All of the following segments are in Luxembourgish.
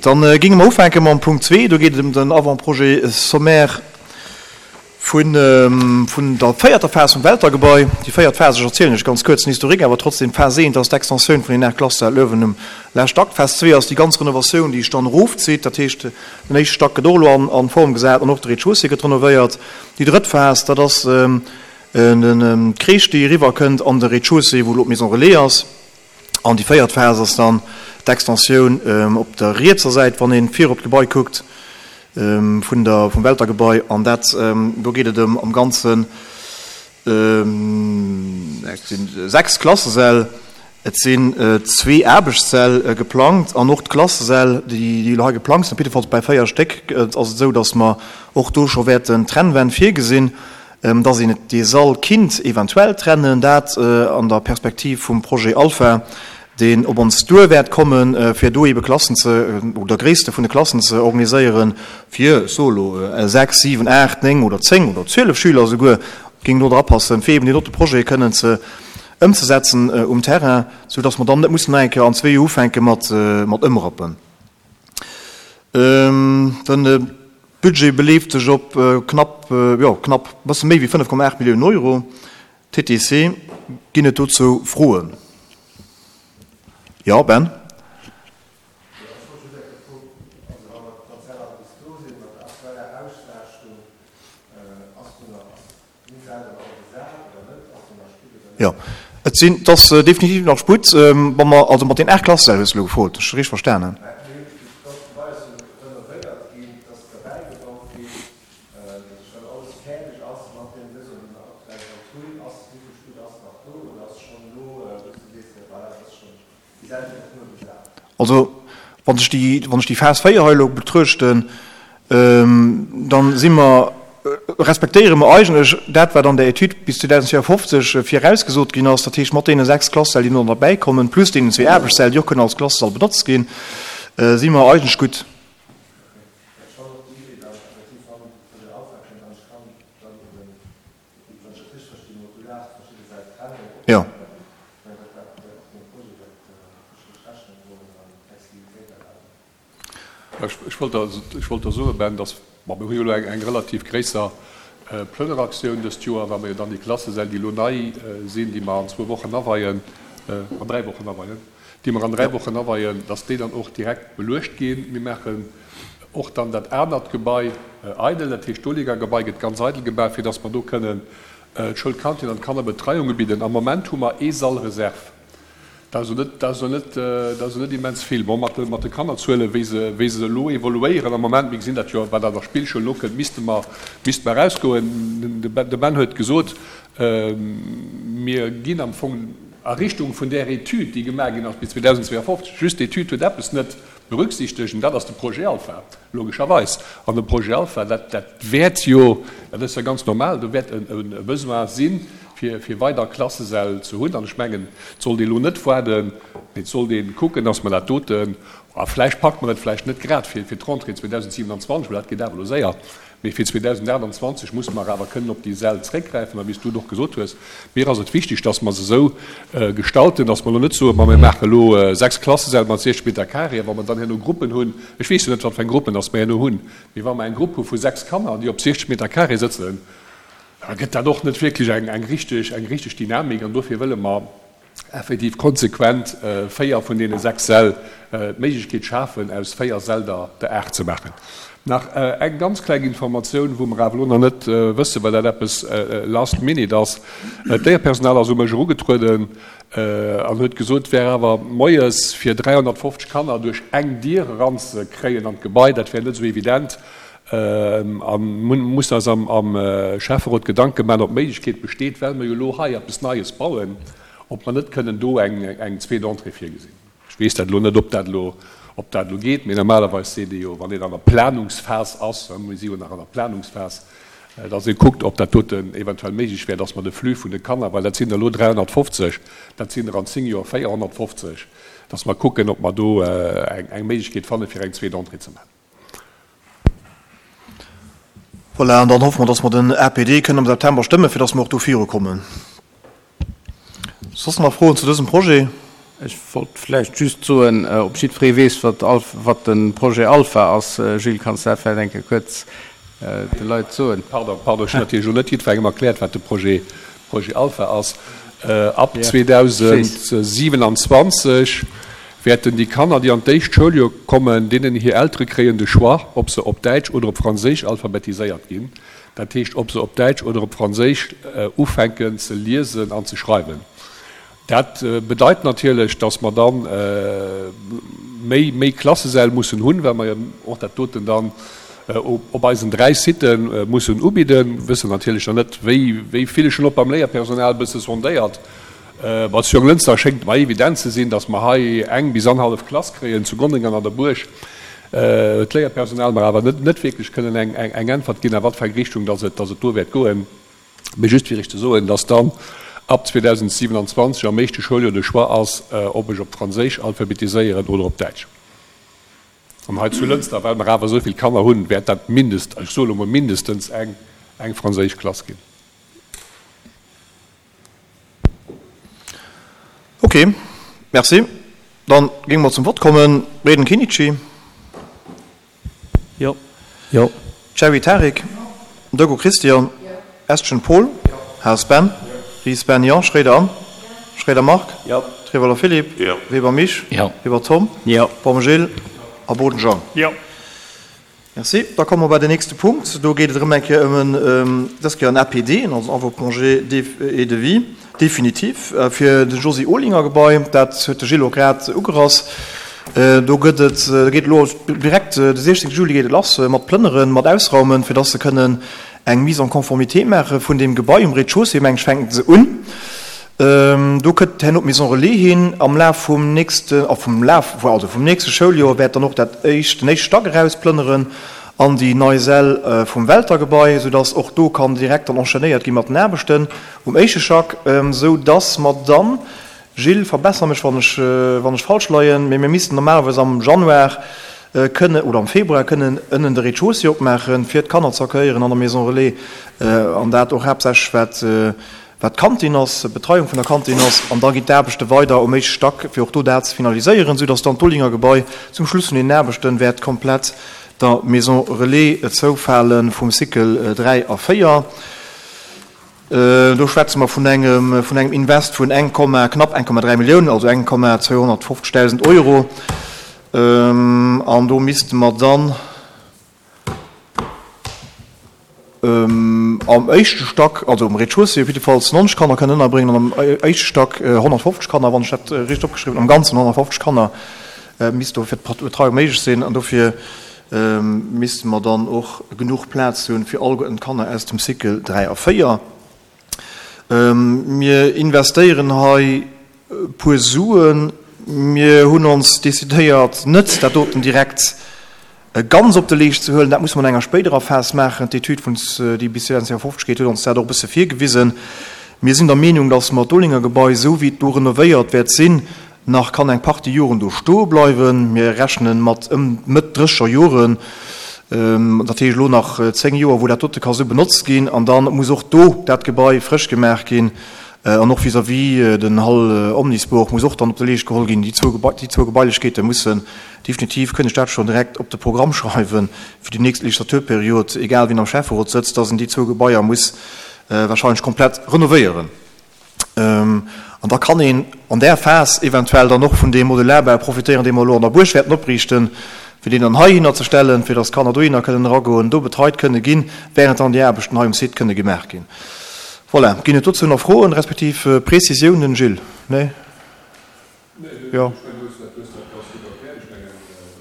Dann géinge mer ufänke mam Punkt zwee. Do geet et ëm den Avant-projet sommaire vun der véierter Phas vum Welter-Gebai. Déi véiert Phas, ech erzielen lech ganz kuerz den Historique, awer trotzdem, Phas eent ass d'Extensioun vun den 8 Klassesäll uewen um leschte Akt. Phas zwee ass déi ganz Renovatioun, déi sech dann erofzitt. Dat heescht, den éischte Stack gëtt och elo an Form gesat an och de Rez-de-chaussée gëtt renovéiert. Déi drëtt Phas, dat ass d'Crèche, déi eriwwerkënnt an de Rez-de-chaussée, wou elo d'Maison relais ass. An déi véiert Phas ass dann d'Extensioun op der rietser Säit, wann ee vir op d'Gebai kuckt, vun der, vum Welter-Gebai. An dat, do geet et ëm am Ganzen, et sinn 6 Klassesäll, et sinn zwee Aarbechtssäll geplangt an och d'Klassesäll, déi elo hei geplangt sinn, op jiddefalls bäi 4 Stéck ass et esou, datt mer och do scho wäerten Trennwänn virgesinn. Dass een et dee Sall kinnt eventuell trennen, dat an der Perspektiv vum Projet Alpha, deen op ons duer wäert kommen, fir do eebe Klassen ze, oder Gréisste vun de Klassen ze organiséieren, fir, ech soe elo, 6, 7, 8, 9 oder 10 oder 12 Schüler esouguer géingen do drapassen, fir eeben deen dote Projet kënnen ze ëmzesetzen um Terrain, soudass mer dann net mussen nach eng Kéier an zwee Joer ufänke mat ëmrappen. Den Budget beleeft sech op knapp, jo knapp, e bësse méi wéi 5,8 Milliounen Euro. TTC, Ginn et dozou Froen? Jo, Ben? Jo, et sinn, et ass definitiv nach Sputt. Wa mer, also mat den 8 Klassesäll hues de elo gefrot, ech richteg verstanen? Also, wann ech déi, wann ech déi Phas 4 hei elo betruechten, dann si mer, respektéiere mer eigentlech dat, wat an der Etüd bis 2054 virausgesot ginn ass, dat heescht mat deene 6 Klassesäll, déi no derbäikommen, plus deenen zwee Aarbechtssäll, déi och kënnen als Klassesall benotzt ginn, si mer eigentlech gutt. Jo. Ech wollt der, ech wollt der soen, Ben, dass, bon, mir hu jo elo eng relativ gréisser Plënneraktioun dëst Joer, well mer jo dann déi Klassesäll, déi elo nei sinn, déi mer an zwou Wochen aweien, an dräi Wochen aweien, déi mer an dräi Wochen aweien, dass déi dann och direkt beluecht ginn. Mir maachen och dann dat anert Gebai eidel, dat heescht d'Oliga-Gebai gëtt ganz eidel gemaach, fir dass mer do kënnen d'Schoulkantin an d'Kannerbetreiung ubidden. Am Moment hu mer ee Sall Reserve. Dat ass elo net, dat ass elo net, dat ass elo net immens vill. Bon, mat de, mat de Kannerzuelen, wéi se, wéi se elo evoluéieren am Moment, mir gesinn dat jo, wat an der Spillschoul elo kënnt, misste mer, misste mer erausgoen. De Ben huet gesot, mir ginn am Fong a Richtung vun där Etüd, déi gemaach ginn ass bis 2052. Just d'Etüd huet eppes net berücksichtegt, an dat ass de Projet Alpha, logescherweis. An de Projet Alpha, dat, dat wäert jo, dat ass jo ganz normal, do wäert e Besoin sinn, fir, fir weider Klassesäll ze hunn. An ech mengen, et sollt ee lo net waarden, mee et sollt ee kucken, dass mer dat doten, a vläicht packt mer et vläicht net grad fir, fir d'Rentrée 2027, well dat geet awer elo séier, Mee fir 2028 musse mer awer kënnen op déi Säll zréckgräifen. A wéi s du et och gesot hues, mir ass et wichteg, dass mer se esou gestalten, dass mer elo net soen, ma mir maache elo 6 Klassesäll mat 60 Meter carré, a wa mer dann herno Gruppen hunn, ech weess jo net, wat fir eng Gruppen dass mer herno hunn, mee wa mer eng Grupp hu vu 6 Kanner, déi op 60 Meter carré sëtzen, da gëtt dat och net wierklech eng richteg Dynamik. An dofir wëlle mer effektiv konsequent 4 vun deene 6 Säll d'Méiglechkeet schafen, aus 4 Säll der der 8 ze maachen. Nach eng ganz kleng Informatioun, wou mer awer elo nach net wëssen, well dat eppes last minute ass, D'Léierpersonal ass u mech erugetrueden an huet gesot, et wär awer moies fir 350 Kanner duerch eng Dier eranzekréien an d'Gebai, dat wär net esou evident. A mussen eis am Schäfferot Gedanke maachen, ob d'Méiglechkeet besteet, well mer jo elo hei eppes Neies bauen, ob mer net kënnen do eng zweet Entrée virgesinn. Ech weess dat elo net, ob dat elo, ob dat elo geet, mee normalerweis seet ee jo, wann een an der Planungsphas ass, mir si jo nach an der Planungsphas, datt ee kuckt, ob dat doten eventuell méiglech wär, datt mer de Flux vun de Kanner, well dat sinn der elo 350, dat sinn der an zéng Joer 450, datt mer kucken, ob mer do eng Méiglechkeet fanne fir eng zweet Entrée ze maachen. Voilà, an dann hoffe mer, dass mer den APD kënnen am September stëmmen, fir dass mer och do virukommen. Soss nach Froen zu dësem Projet? Ech wollt vläicht just soen, ob jiddweree weess, wat wat de Projet Alpha ass. Gilles, kanns de dat vläicht eng Kéier kuerz de Leit soen? Pardon, pardon, ech hunn natierlech elo net jiddwerengem erkläert, wat de Projet Projet Alpha ass. Ab 2027 wäerten déi Kanner, déi an d'éischt Schouljoer kommen, deenen hir Eltere kréien de Choix, ob se op Däitsch oder op Franséisch alphabetiséiert ginn. Dat heescht, ob se op Däitsch oder op Franséisch ufänken ze liesen an ze schreiwen. Dat bedeit natierlech, dass mer da méi, méi Klassesäll mussen hunn, well mer jo och dat doten dann op eisen 3 Sitë mussen ubidden. Mir wëssen natierlech nach net, wéi, wéi vill. Ech hunn och beim Léierpersonal e bësse sondéiert. Bei zu Jonglënster schéngt et mer evident ze sinn, dass mer hei eng bis annerhallef Klass kréien. Zu Gonnereng an an der Buerg huet d'Léierpersonal mer awer net, net wierklech kënnen eng, eng Äntwert ginn, a wat fir eng Richtung dass et, dass et do wäert goen. Mee just fir Iech ze soen, dass dann ab 2027 am éischte Schouljoer de Choix ass, ob ech op Franséisch alphabetiséieren oder op Däitsch. An hei zu Lënster, well mer awer esou vill Kanner hunn, wäert dat mindest, ech soe lo mol mindestens eng, eng franséisch Klass ginn. Ok, merci. Dann géinge mer zum Vott kommen. Reding Kinnici. Jo. Jo. Cherry Tarik, Dego Christian, Estgen Paul, Haas Ben, Ries Ben, jo, Schroeder Anne, Schroeder Marc, Trevoller Philippe, Weber Misch, Weber Tom, Baum Gilles a Boden Jean. Merci. Da komme mer bei den nächste Punkt. Do geet et erëm eng Kéier ëm en, dës Kéier en APD, also en Avant-projet et devis définitif fir de Josy Olinger Gebai. Dat huet de Gilles och grad ugerass. Do gëtt et, do geet elo direkt de 16 Juli geet et lass mat plënneren, mat ausraumen, fir dass se kënnen eng Mise en conformité maache vun deem Gebai um Rez-de-chaussée, meng ech, fänken se un. Do kënnt herno d'Maison relais hin. Am Laf vum nächsten, a vum Laf, also vum nächste Schouljoer wäert dann och dat éischt, den éischte Stack erausplënneren an déi nei Säll vum Welter-Gebai, soudass och do kann direkt dann enchaînéiert gi mat den Aarbechten um éischte Stack, soudass mer dann, Gilles, verbesser mech wann ech wann ech falsch leien, mee mir missten normalerweis am Januar kënne oder am Februar kënnen ënnen de Rez-de-chaussée opmaachen, fir d'Kanner ze accueillieren an der Maison Relais, an dat och haaptsächlech wat wat d'Kantin ass, d'Betreiung vun der Kantin ass. An da ginn d'Aarbechte weider um éischte Stack, fir och do dat ze finaliséieren, soudass dann d'Olinger Gebai zum Schluss vun deenen Aarbechte wäert komplett der Maison Relais zoufale vum Cycle 3 a 4. Do schwätze mer vun engem, vun engem Invest vun eng Komma, knapp 1,3 Milliounen, also eng Komma 250.000 Euro. An do misste mer dann am éischte Stack, also um Rez-de-chaussée op jiddefalls 90 Kanner kënnen ënnerbréngen an am éischte Stack 150 Kanner, wann ech dat richteg opgeschriwwen hunn. Am Ganzen 150 Kanner misst do fir d'Betreiung méiglech sinn. An dofir misste mer dann och genuch Plaz hunn fir alleguerten d'Kanner aus dem Cycle 3 a 4. Mir investéieren hei e puer Suen. Mir hunn ons decidéiert, net dat doten direkt ganz op de Leescht ze huelen. Dat musse mer an enger spéiderer Phas maachen. D'Etüd vun, déi bis 2050 geet, huet ons dat och e bësse virgewisen. Mir sinn der Meenung, dass mer d'Olinger Gebai, esou wéi et do renovéiert wäert sinn, Nach kann eng Partie Joren do stoe bleiwen. Mir rechnen mat ëm Mëtt drécheger Joren, dat heescht elo nach 10 Joer, wou dat dote ka sou benotzt ginn. An da muss och do dat Gebai frësch gemaach ginn. An och vis-à-vis den Hall Omnisport muss och dann op de Leescht geholl ginn. Déi zwou déi zwou Gebailechkeete mussen definitiv, kënnt ech dat schonn direkt op de Programm schreiwen fir déi nächst Legislaturperiod, egal wien am Schäfferot sëtzt, dass en déi zwou Gebaier muss wahrscheinlech komplett renovéieren. An da kann een an där Phas eventuell dann och vun deem Modularbau profitéieren, dee mer elo an der Buerg wäerten opriichten, fir deen dann heihinner ze stellen, fir dass d'Kanner dohinner kënnen eragoen, do betreit kënne ginn, während dann déi Aarbechten hei um Site kënne gemaach ginn. Voilà. Ginn et dozou nach Froen respektiv Prezisiounen? Gilles? Nee? Nee, ech mengen, du hues dat, du hues dat ganz gutt erkläert. Ech mengen,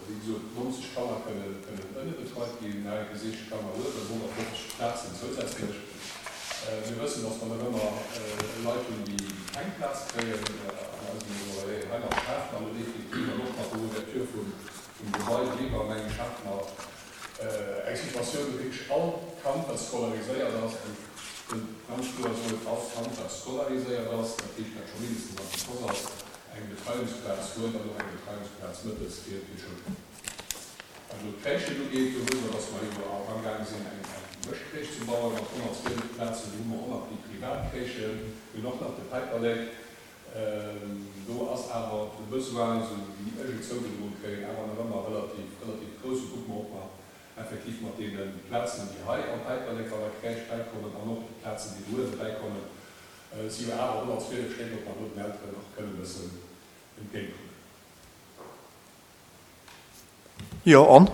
wéi gesot, 90 Kanner kënnen, kënnen ënne betreit ginn, nach eng Kéier 60 Kanner uewen, 150 Plazen zousätzlech. Mir wëssen, dass mer nach ëmmer Leit hunn, déi keng Plaz kréien an eisen Maison Relais. Heimat schafe mer elo definitiv an och mat der Ouverture vum, vum Gebai driwwer, meng ech, schafe mer eng Situatioun, wou wierklech all Kand, dat scolariséiert ass, an ech wëll ganz kloer soen, all Kand, dat scolariséiert ass, dat heescht, dat scho mindestens am Précoce ass, eng Betreiungsplaz huet an och eng Betreiungsplaz mëttes fir d'Schoul. Wat elo d'Crèchen ugeet, do wësse mer, dass mer jo amgaange sinn, eng Mëschcrèche ze bauen mat 112 Plazen. Do hu mer och nach déi privat Crèchen, mir hunn och nach de Päiperlek. Do ass awer de Besoin, esou wéi ech et zougedroe kréien, awer nach ëmmer relativ, relativ grouss. Kucke mer, ob mer effektiv mat deene Plazen, déi hei am Päiperlek an der Crèche bäikommen an och déi Plazen, déi do uewe bäikommen, et si jo awer 112 Stéck, ob mer do den Elteren nach kënnen e bëssen entgéintkommen. Jo, an?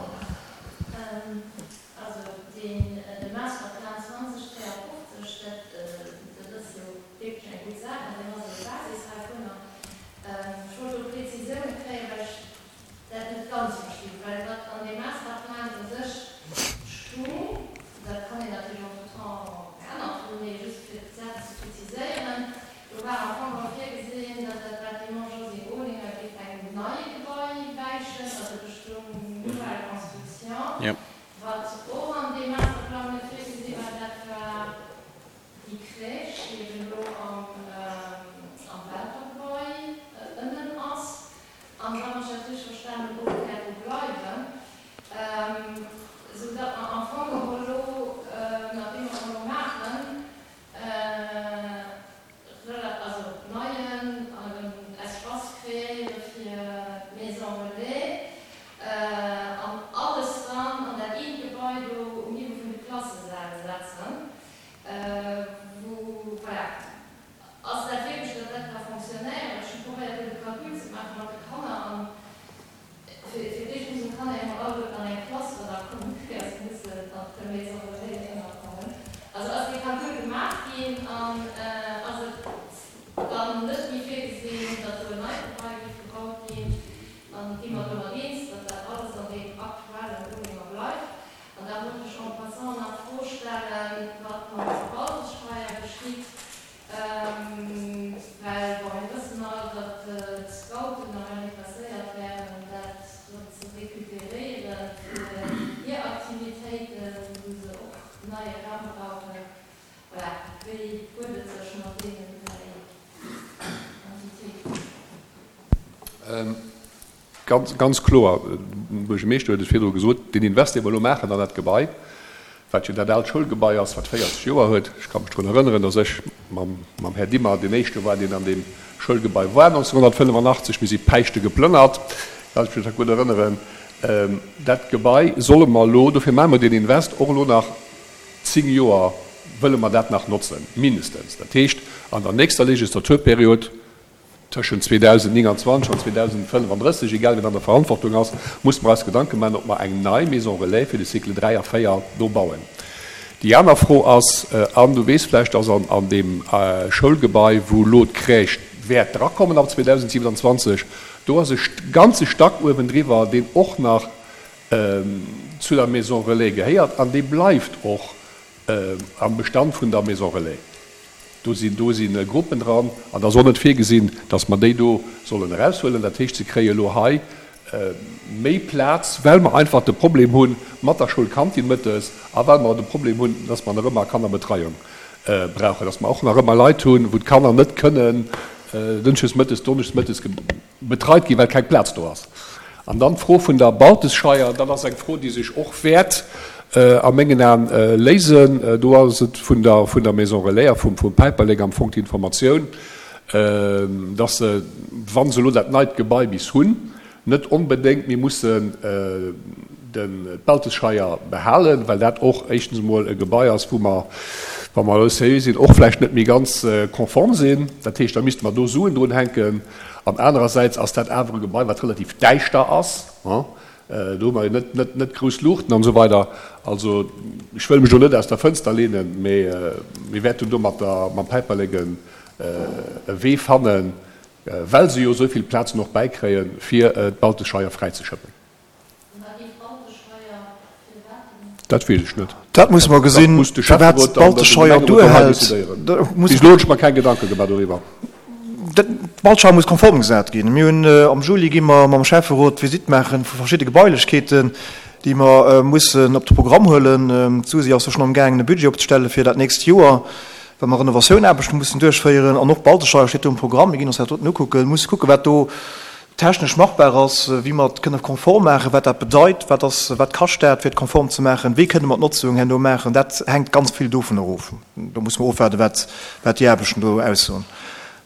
Also deen, de Masterplan 2053, dat, dat ass jo wierklech eng gutt Saach an deen ass elo d'Basis heivunner. Ech wollt do Prezisioune kréien, well ech dat net ganz verstinn, well wat an deem Masterplan u sech stung, dat kann een natierlech entretemps geännert hunn, mee just fir d'Saach ze preziséieren, Do war am Fong och virgesinn, datt dat Bâtiment Josy Olinger géif engem neie Gebai wäichen, also Richtung nouvelle construction. Wat och an deem Masterplang net virgesi war, dat war déi Crèche, déi eben elo am Welter Gebai ënnen ass an, wann ech dat richteg verstanen hunn, och wäert do bleiwen, esou datt mer am Fong geholl elo, mat deem, wat mer elo maachen, also neien Espace kreéiere fir d'Maison Relais an alles dann an dat eent Gebai do um Niveau vun de Klassesäll setzen, wou, voilà, ass dat wierklech, datt dat ka fonctionnéieren? Ech hu probéiert do de Calcul ze maache mat de Kanner an Fir d'éischt mussen d'Kanner emol alleguerten an eng Klass ënnerkommen, ier se mussen an d'Maison relais ënnerkommen. Also ass dee Calcul gemaach ginn an ass et dann net méi virgesinn, datt do en neit Gebai géif gebaut ginn? An gi mer domat eens, datt dat alles an deem aktuellen Olinger bleift? An da wollt ech en passant nach d'Fro stellen, wat mam Verwaltungsschreier geschitt. Well, bon, mir wëssen all, datt d'Scouten nawell interesséiert wären, dat erëm ze recuperéieren fir hir Aktivitéiten, wou se och neie Raum brauchen. Voilà, wéi huet et sech mat deenen 3 Entitéiten? Ganz, ganz kloer, de Buergermeeschter huet et virdru gesot, deen Invest, dee mer elo maachen an dat Gebai, wat jo dat aalt Schoulgebai ass, wat 40 Joer huet, ech ka mech drun erënneren, datt ech mam, mam Här Dimmer deen éischte war, deen an deem Schoulgebai war 1985, mir si Päischte geplënnert, kann ech mech nach gutt erënneren. Dat Gebai solle mer elo, dofir maache mer deen Invest, och elo nach 10 Joer wëlle mer dat nach notzen, mindestens. Dat heescht, an der nächster Legislaturperiod, Tëschent 2029 an 2035, egal wien an der Verantwortung ass, musse mer eis Gedanke maachen, ob mer eng nei Maison relais fir de Cycle 3 a 4 do bauen. Déi aner Fro ass, an du weess vläicht, dass an deem Schoulgebai, wou elo d'Crèche wäert drakommen ab 2027, do ass e ganze Stack uewendriwwer, deen och nach zu der Maison relais gehéiert an dee bleift och am Bestand vun der Maison relais. Do sinn, do si Gruppen dran an et ass och net virgesinn, dass mer déi do sollen eraushuelen. Dat heescht, se kréie elo hei méi Plaz, well mer einfach de Problem hu mat der Schoulkantin mëttes a well mer de Problem hunn, dass mer nach ëmmer Kannerbetreiung brauchen, dass mer och nach ëmmer Leit hunn, wou d'Kanner net kënnen dënschdes mëttes, donneschdes mëttes betreit ginn, well keng Plaz do ass. An dann d'Fro vun der Baltesscheier, dat ass eng Fro, déi sech och wäert a mengen Aen léisen. Do ass et vun der, vun der Maison Relais a vum, vum Päiperlek am Fong d'Informatioun, dass se, wa se elo dat neit Gebai bis hunn, net onbedéngt méi mussen den d'Baltescheier behalen, well dat och éischtens emol e Gebai ass, wou mer, wa mer elo seriö sinn, och vläicht net méi ganz konform sinn. Dat heescht, da misste mer do Suen drun hänken. An anerersäits ass dat awer e Gebai, wat relativ däischter ass. Do hu mer jo net, net, net grouss Luuchten an esou weider. Also ech wëll mech do net aus der Fënster leenen, mee mir wäerten do mat der, mam Päiperlek e Wee fannen, well se jo esou vill Plazen och bäikréien, fir d'Baltescheier fräizeschëppen. Dat weess ech net. Dat musse mer gesinn, firwat d'Baltescheier duerhält. Bis elo hunn ech mer keng Gedanke gemaach doriwwer. D'Baltscheier muss konform gesat ginn. Mir hunn am Juli gi mer mam Schäfferot d'Visitt maache vu verschidde Gebailechkeeten, déi mer mussen op de Programm huelen. D'Susi ass jo schonn amgaangen e Budget opzestelle fir dat nächst Joer, well mer Renovatioun-Aarbechte mussen duerchféieren. An och d'Baltescheier steet do um Programm. Mir ginn ons dat doten ukucken, musse kucken, wat do technesch machbar ass, wéi mer et kënne konform maachen, wat dat bedeit, wat ass, wat kascht dat, fir et konform ze maachen, wéi kënne mer d'Notzung herno maachen, dat hänkt ganz vill dovun erof. Do musse mer ofwaarden, wat, wat déi Aarbechten do aussoen.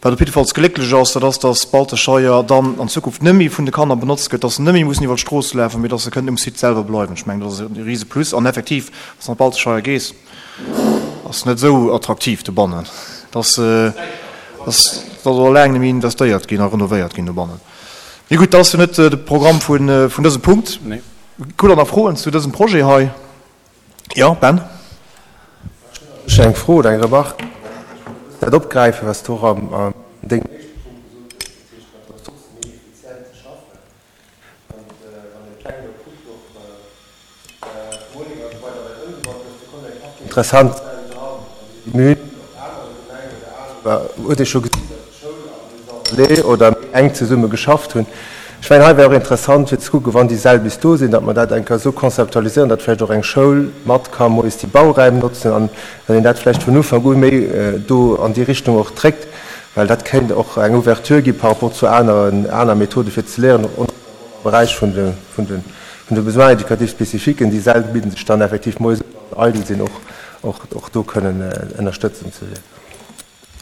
Wat op jiddefalls glécklech ass, dat ass, dass d'Baltescheier dann an Zukunft net méi vun de Kanner benotzt gëtt, dass se net méi mussen iwwer d'Strooss lafen, mee dass se kënnen um Site selwer bleiwen. Ech mengen, dat ass e rise Plus. An effektiv, wann s de an d'Baltescheier gees, ass net esou attraktiv dobannen. Et ass, et ass och laang net méi investéiert ginn a renovéiert ginn dobannen. Mee gutt, dat ass jo net de Programm vun dësem Punkt. Hutt Der nach Froen zu dësem Projet hei? Jo, Ben? Ech hunn eng Fro oder eng Remarque. Ech wollt dat opgräifen, wat s du och an dengem éischte Punkt gesot hues, dat heescht mat Ressourcë méi effizient ze schaffen. Wann de Pläng elo kuckt, och Morning an esou weider, wat ëmgebaut gouf, do kommen eng Partie interessant Säll dran. An mir hunn op anere Gemengen oder anescht huet ee scho gesinn, datt d'Schoul an d'Maison relais oder méi enk zesumme geschafft hunn. Ech mengen, hei wär och interessant fir ze kucken, wann déi Säll bis do sinn, datt mer dat eng Kéier esou konzeptualiséieren, datt vläicht och eng Schoul mat ka moies déi Bauräim notzen an datt een dat vläicht vun Ufank u méi do an déi Richtung och dréckt, well dat kéint och eng Ouverture gi par rapport zu aneren, aner Methode fir ze léieren, och am Beräich vun de, vun de, vun de Besoins éducatifs spécifiques. Déi Säll bidden sech dann effektiv moies un, wann se eidel sinn, och, och, och do kënnen ënnerstëtzend ze wierken.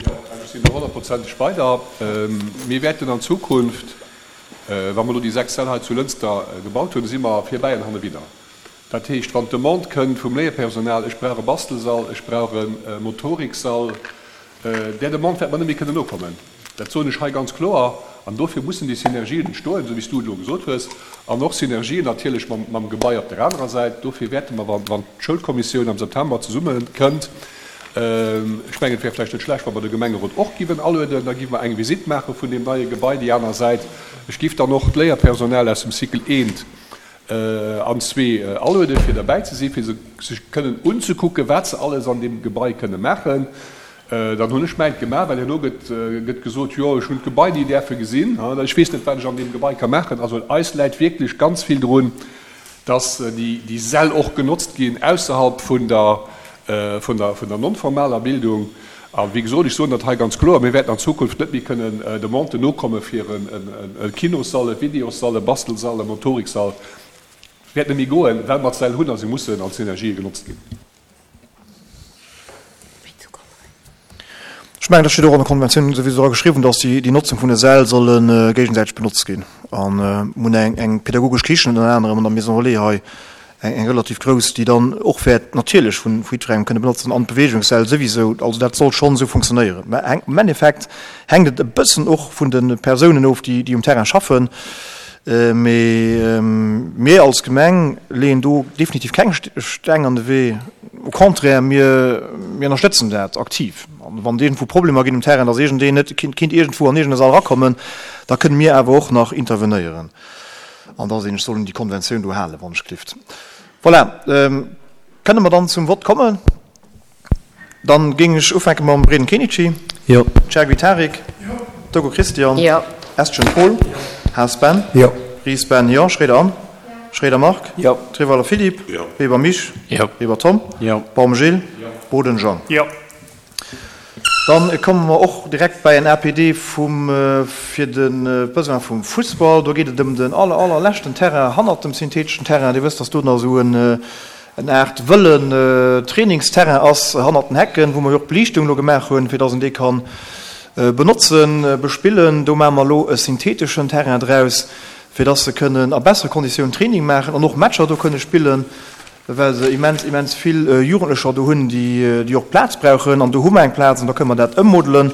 Jo, ech sinn do honnertprozenteg bei der. Mir wäerten an Zukunft, wa mer elo déi 6 Säll hei zu Lënster gebaut hunn, si mer virbäi an hannewidder. Dat heescht, wann d'Demande kënnt vum Léierpersonal, ech brauch e Bastelsall, ech brauch e Motoriksall, där Demande wäerte mer net méi kënnen nokommen. Dat soen ech hei ganz kloer. An dofir mussen déi Synergien entstoen, esou wéi s du et elo gesot hues, an och Synergien natierlech mam Gebai op der anerer Säit. Dofir wäerte mer, wann d'Schoulkommissioun am September zesummekënnt, Ech mengen, et wär vläicht net schlecht, wa mer de Gemengerot och giwen alueden. Da giwe mer eng Visitt maache vun deem neie Gebai, déi aner Säit. Ech giff dann och d'Léierpersonal aus dem Cycle eent an zwee alueden, fir derbäi ze sinn, fir se sech kënnen unzekucken, wat se alles an deem Gebai kënne maachen. Dann hunn ech mäint gemaach, well herno gëtt gëtt gesot, jo, ech hunn d'Gebai ni däerfe gesinn, ech weess net, wat ech an deem Gebai ka maachen. Also eis läit wierklech ganz vill drun, dass déi Säll och genotzt ginn ausserhalb vun der, vun der, vun der non-formaler Bildung. A wéi gesot, ech soen dat hei ganz kloer, mir wäerten an Zukunft net méi kënnen Demanden nokomme fir e Kinossall, e Videossall, e Bastelsall, e Motoriksall. Wäert net méi goen, well mer d'Säll hunn a se mussen als Synergië genotzt ginn. Ech mengen, dat steet och an der Konventioun souwisou dra geschriwwen, dass déi Notzung vun de Säll solle géigesäiteg benotzt ginn. A mir hunn eng pädagogesch Kichen ënner anerem an der Maison Relais hei, eng relativ grouss, déi dann och wäert natierlech vu jiddwerengem kënne benotzt ginn an d'Beweegungssäll souwisou. Also dat soll schonn esou funktionéieren. Mä am Endeffekt hänkt et e bëssen och vun de Persounen of, déi um Terrain schaffen. Mee mir als Gemeng leeën do definitiv keng Steng an de Wee. Au contraire, mir ënnerstëtzen dat aktiv. An wann et iergendwou Problemer ginn um Terrain, dass iergendeen net kinnt iergendwou an iergend e Sall erakommen, da kënne mir awer och nach intervenéieren. An da sinn ech soll un déi Konventioun do halen, wann ech gelift. Voilà, kënne mer dann zum Vott kommen? Dann géing ech ufänke mam Breden Kenichi. Jo. Chergui Tarik. Jo. Togo Christian. Jo. Estgen Paul. Jo. Haas Ben. Jo. Ries Ben. Jo. Schroeder Anne. Jo. Schroeder Marc. Jo. Treweiler Philippe. Jo. Weber Misch. Jo. Weber Tom. Jo. Baum Gilles. Jo. Boden Jean. Jo. Dann komme mer och direkt bäi en APD vum, fir de Besoin vum Fussball. Do geet et ëm den aller, allerleschten Terrain hannert dem syntheteschen Terrain. Dir wësst, dass do nach esou en, en Aart wëllen Trainingsterrain ass hannert den Hecken, wou mer jo och d'Beliichtung elo gemaach hunn, fir dass een dee kann benotzen, bespillen. Do maache mer elo e syntheteschen Terrain draus, fir dass se kënnen a bessere Konditiounen Training maachen an och Matcher do kënne spillen, well se immens, immens vill Jugendlecher do hunn, déi, déi och Plaz brauchen. An do hu mer eng Plaz an da kënne mer dat ëmmodelen.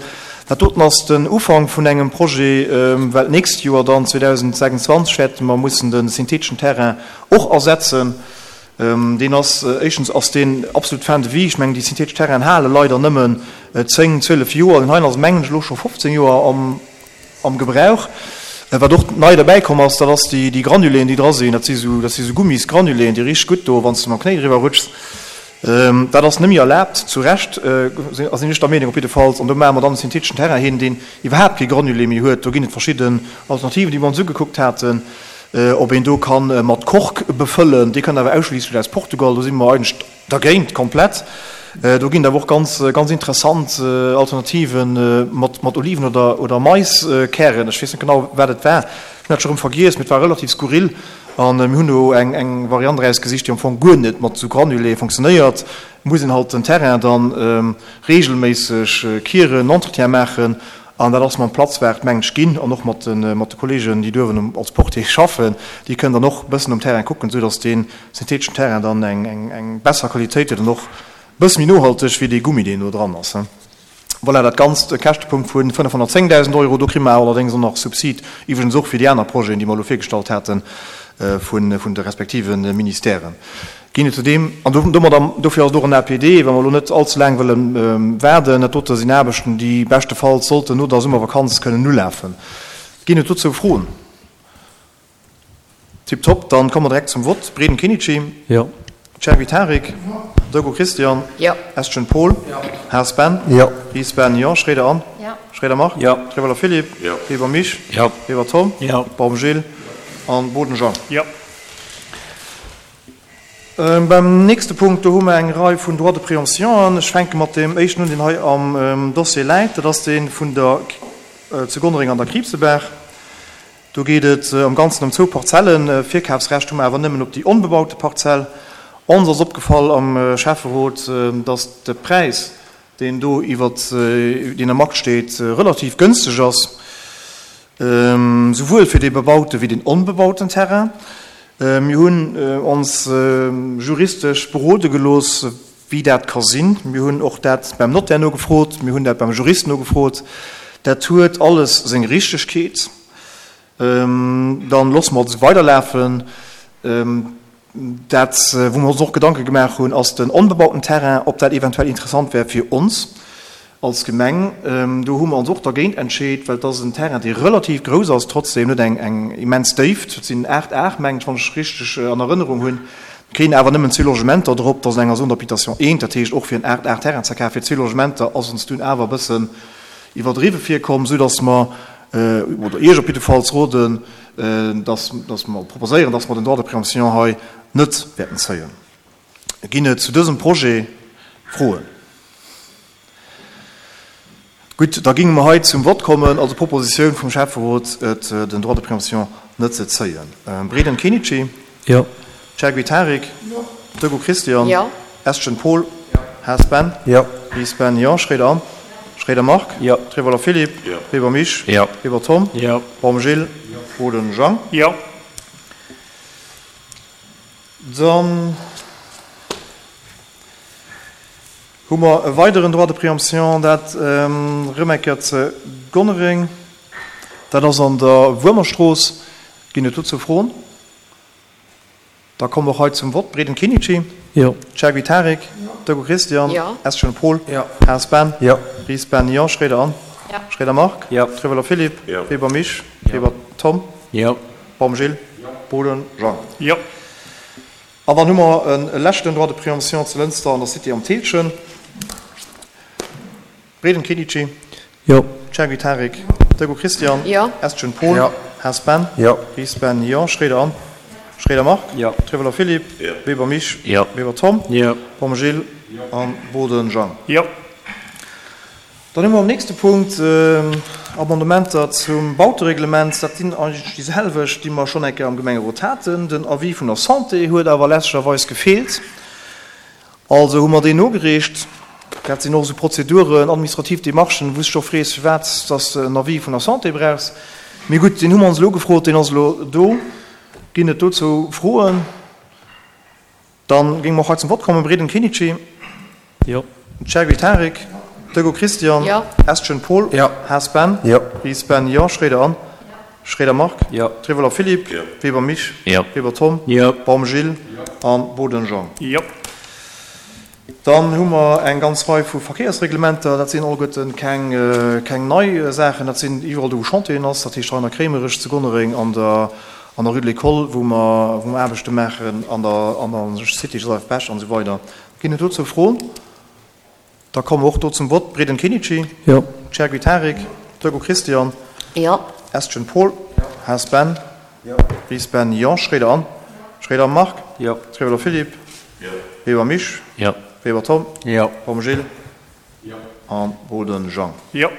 Dat doten ass den Ufank vun engem Projet, well d'nächst Joer dann, 2026, wäerte mer mussen de syntheteschen Terrain och ersetzen. Deen ass, éischtens ass deen absolut fin de vie. Ech mengen, déi synthetesch Terrainen hale leider nëmmen 10, 12 Joer. Deen heien ass, mengen ech, elo scho 15 Joer am Gebrauch. Wat och nei derbäi komm ass, dat ass déi Granuléen, déi dra sinn. Dat si sou, dat si sou Gummisgranuléen, déi richteg gutt do, wann s de mam Knéi driwwer rutschs. Dat ass net méi erlaabt, zu Recht, sinn ech der Meenung op jiddefalls. An do maache mer dann e syntheteschen Terrain hin, deen iwwerhaapt kee Granulé méi huet. Do ginn et verschidden Alternativen, déi mer ons ugekuckt haten. Ob een do ka mat Kork befëllen, dee kënnt awer ausschliisslech aus Portugal, do si mer eigentlech dergéint komplett. Do ginn et awer och ganz, ganz interessant Alternative mat, mat Oliven oder, oder Maiskären. Ech weess net genau, wat et war, ech hunn dat scho rëm vergiess, mee et war relativ skurril. A mir hunn do eng, eng Variant erausgesicht, déi am Fong guer net mat esou Granulé funktionéiert. Et muss een halt den Terrain dann reegelméisseg kieren, Entretien maachen. An dat ass mam Platzwart, mengen ech, ginn an och mat de mat de Kollegen, déi duerwen als Portier schaffen, déi kënnen dann och e bëssen um Terrain kucken, esou datt dee syntheteschen Terrain dann eng eng eng besser Qualitéit huet an och e bësse méi nohalteg wéi dee Gummi, deen do dran ass. Voilà, dat Ganzt e Käschtepunkt vu 510.000 Euro. Do kri mer allerdéngs och nach Subsid, iwwregens och fir déi aner Projeten, déi mer elo virgestallt haten, vun de respektive Ministèren. Ginn et zudeem, an domadder, dofir ass et och en APD, wa mer elo net allze laang wëlle waarden, dat dote sinn Aarbechten, déi beschtefalls sollten no der Summervakanz kënnen ulafen. Ginn et dozou Froen? Tiptop, dann komme mer direkt zum Vott. Breden Kenichi. Jo. Cherby Tarik. Jo. Dogo Christian. Jo. Estgen Paul. Jo. Haas Ben. Jo. Ries Ben, jo. Schroeder Anne. Jo. Schroeder Marc. Jo. Trewelder Philippe. Jo. Weber Misch. Jo. Weber Tom. Jo. Baum Gilles. An Boden Jean. Jo. Beim nächste Punkt, do hu mer eng Rei vun Droits de préemption. Ech fänke mat deem éischten un, deen hei am Dossier läit. Dat ass dee vun der zu Gonnereng an der Kriibsebaach. Do geet et am Ganzen ëm zwou Parzellen. Virkafsrecht hu mer awer nëmmen op déi onbebaute Parzell. Ons ass opgefall am Schäfferot, dass de Präis, deen do iwwert deen am Akt steet, relativ gënsteg ass, souwuel fir dee bebaute wéi deen onbebauten Terrain. Mir hunn ons juristesch berode gelooss, wéi dat ka sinn. Mir hunn och dat beim Notaire nogefrot, mir hunn dat beim Jurist nogefrot. Dat huet alles seng Richtegkeet. Dann loosse mer et esou weiderlafen. Dat, wou mer ons och Gedanke gemaach hunn, ass den onbebauten Terrain, ob dat eventuell interessant wär fir ons als Gemeng. Do hu mer ons och dergéint entscheet, well et ass en Terrain, dee relativ grouss ass, trotzdem net eng immens Déift, et sinn 8 Ar, mengen ech, wann ech richteg an Erënnerung hunn. Et kréien awer nëmmen zwee Logementer drop, dat ass an enger Zone d'habitation eent, dat heescht och fir en 8 Ar Terrain ze kafen fir zwee Logementer ass ons dunn awer e bëssen iwwerdriwwe virkomm, soudass mer, oder Iech op jiddefalls roden, dass mer proposéieren, dass mer den Droit de préemption hei net wäerten zéien. Ginn et zu dësem Projet Froen? Gutt, da géinge mer hei zum Vott kommen. Also d'Propositioun vum Schäfferot, et den Droit de préemption net ze zéien. Breden Kenichi. Jo. Chergui Tarik. Jo. Degout Christian. Jo. Estgen Paul. Jo. Haas Ben. Jo. Ries Ben, jo. Schroeder Anne. Schroeder Marc. Jo. Trevoller Philippe. Jo. Weber Misch. Jo. Weber Tom. Jo. Baum Gilles. Jo. Boden Jean. Jo. Dann hu mer e weideren Droit de préemption, dat erëm eng Kéier ze Gonnereng. Dat ass an der Wuermerstrooss. Ginn et dozou Froen? Da komme mer och hei zum Vott. Breden Kenichi. Jo. Chergui Tarik. Jo. Degout Christian. Jo. Estgen Paul. Jo. Haas Ben. Jo. Ries Ben, jo. Schroeder Anne. Jo. Schroeder Marc. Jo. Trevoller Philippe. Jo. Weber Misch. Jo. Weber Tom. Jo. Baum Gilles. Jo. Boden Jean. Jo. An dann hu mer e leschten Droit de préemption zu Lënster an der Cité am Thillchen. Breden Kenichi. Jo. Chergui Tarik. Degout Christian. Jo. Estgen Paul. Jo. Haas Ben. Jo. Ries Ben, jo. Schroeder Anne. Schroeder Marc. Jo. Trevoller Philippe. Jo. Weber Misch. Jo. Weber Tom. Jo. Baum Gilles. Jo. An Boden Jean. Jo. Dann hu mer am nächste Punkt Amendementer zum Bautereglement. Dat sinn eigentlech déi selwecht, déi mer schonn eng Kéier am Gemengerot haten. Den Avis vun der Santé huet awer läscherweis gefeelt. Also hu mer deen nogereecht. Dat sinn och esou Prozeduren, administrativ Demarchen, wou s de scho frees, firwat dass de en Avis vun der Santé brauchs. Mee gutt, deen hu mer ons elo gefrot, deen ass elo do. Ginn et dozou Froen? Dann géinge mer och hei zum Vott kommen. Breden Kenichi. Jo. Chergui Tarik. Degout Christian. Jo. Estgen Paul. Jo. Haas Ben. Jo. Ries Ben, jo. Schroeder Anne. Schroeder Marc. Jo. Trevoller Philippe. Jo. Weber Misch. Jo. Weber Tom. Jo. Baum Gilles. Jo. An Boden Jean. Jo. Dann hu mer eng ganz Rei vu Verkéiersreglementer. Dat sinn alleguerten keng, keng nei Saachen. Dat sinn iwwerall do, wou Chantieren ass, dat heescht hei an der Kréimerech, zu Gonnereng, an der, an der Rue de l'École, wou mer, wou mer Aarbechte maachen, an der, an der Cité Joseph Bech an esou weider. Ginn et dozou Froen? Da komme mer och do zum Vott. Breden Kenichi. Jo. Chergui Tarik. Degout Christian. Jo. Estgen Paul. Jo. Haas Ben. Jo. Ries Ben, jo. Schroeder Anne. Schroeder Marc. Jo. Trevoller Philippe. Jo. Weber Misch. Jo. Weber Tom. Jo. Baum Gilles. Jo. An Boden Jean. Jo.